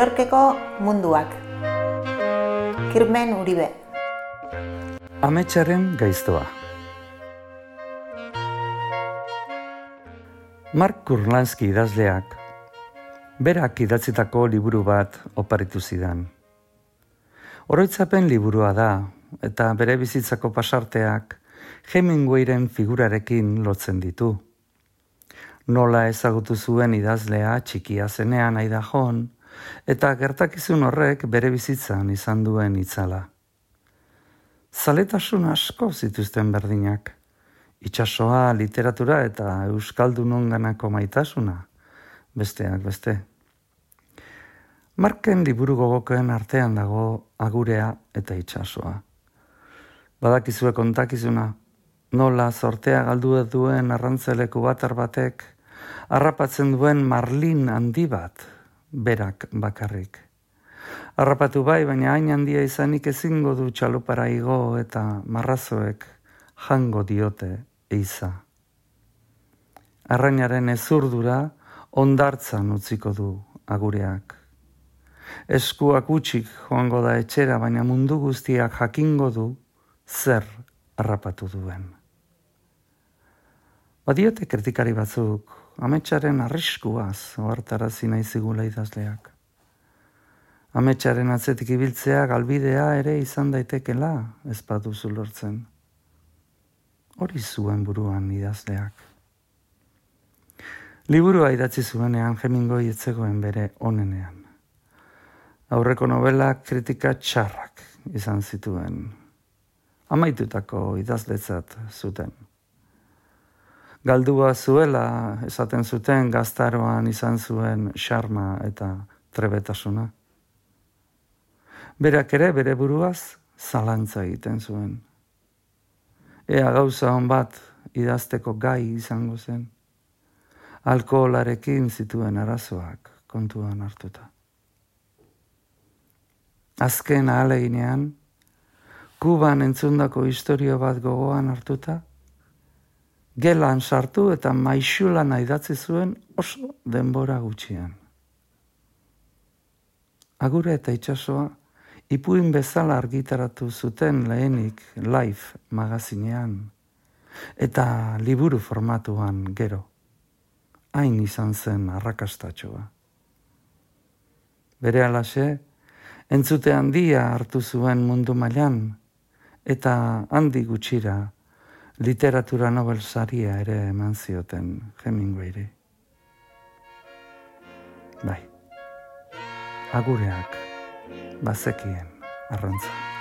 Yorkeko munduak. Kirmen Uribe. Ametsaren gaiztoa. Mark Kurlansky idazleak berak idatzitako liburu bat oparitu zidan. Oroitzapen liburua da eta bere bizitzako pasarteak Hemingwayren figurarekin lotzen ditu. Nola ezagutu zuen idazlea txikia zenean Idahoan eta gertakizun horrek bere bizitzan izan duen itzala. Zaletasun asko zituzten berdinak. Itsasoa, literatura eta euskaldunonganako maitasuna, besteak beste. Marken liburu gogokoen artean dago Agurea eta Itsasoa. Badakizue kontakizuna, nola zortea galdu duen arrantzeleku batar batek harrapatzen duen marlin handi bat, berak bakarrik. Harrapatu bai, baina hain handia izanik ezingo du txalupara igo eta marrazoek jango diote eiza. Arrainaren ezurdura hondartzan utziko du Agureak. Eskuak utxik joango da etxera, baina mundu guztiak jakingo du zer harrapatu duen. Badiote kritikari batzuk, ametsaren arriskuaz ohartarazi nahi zigula idazleak. Ametsaren atzetik ibiltzea galbidea ere izan daitekela ez baduzu lortzen. Hori zuen buruan idazleak. Liburua idatzi zuenean Hemingway ez zegoen bere onenean. Aurreko novelak kritika txarrak izan zituen. Amaitutako idazletzat zuten. Galdua zuela esaten zuten gaztaroan izan zuen xarma eta trebetasuna. Berak ere bere buruaz zalantza egiten zuen. Ea gauza hon bat idazteko gai izango zen. Alkoholarekin zituen arazoak kontuan hartuta. Azken ahaleginean, Kuban entzundako istorio bat gogoan hartuta, gelan sartu eta maixulana idatzi zuen oso denbora gutxian. Agure eta Itsasoa ipuin bezala argitaratu zuten lehenik Life magazinean eta liburu formatuan gero. Hain izan zen arrakastatxoa. Berehalaxe, entzute handia hartu zuen mundu mailan eta handi gutxira literatura Nobel saria ere eman zioten Hemingwayri. Bai, Agureak bazekien arrantza.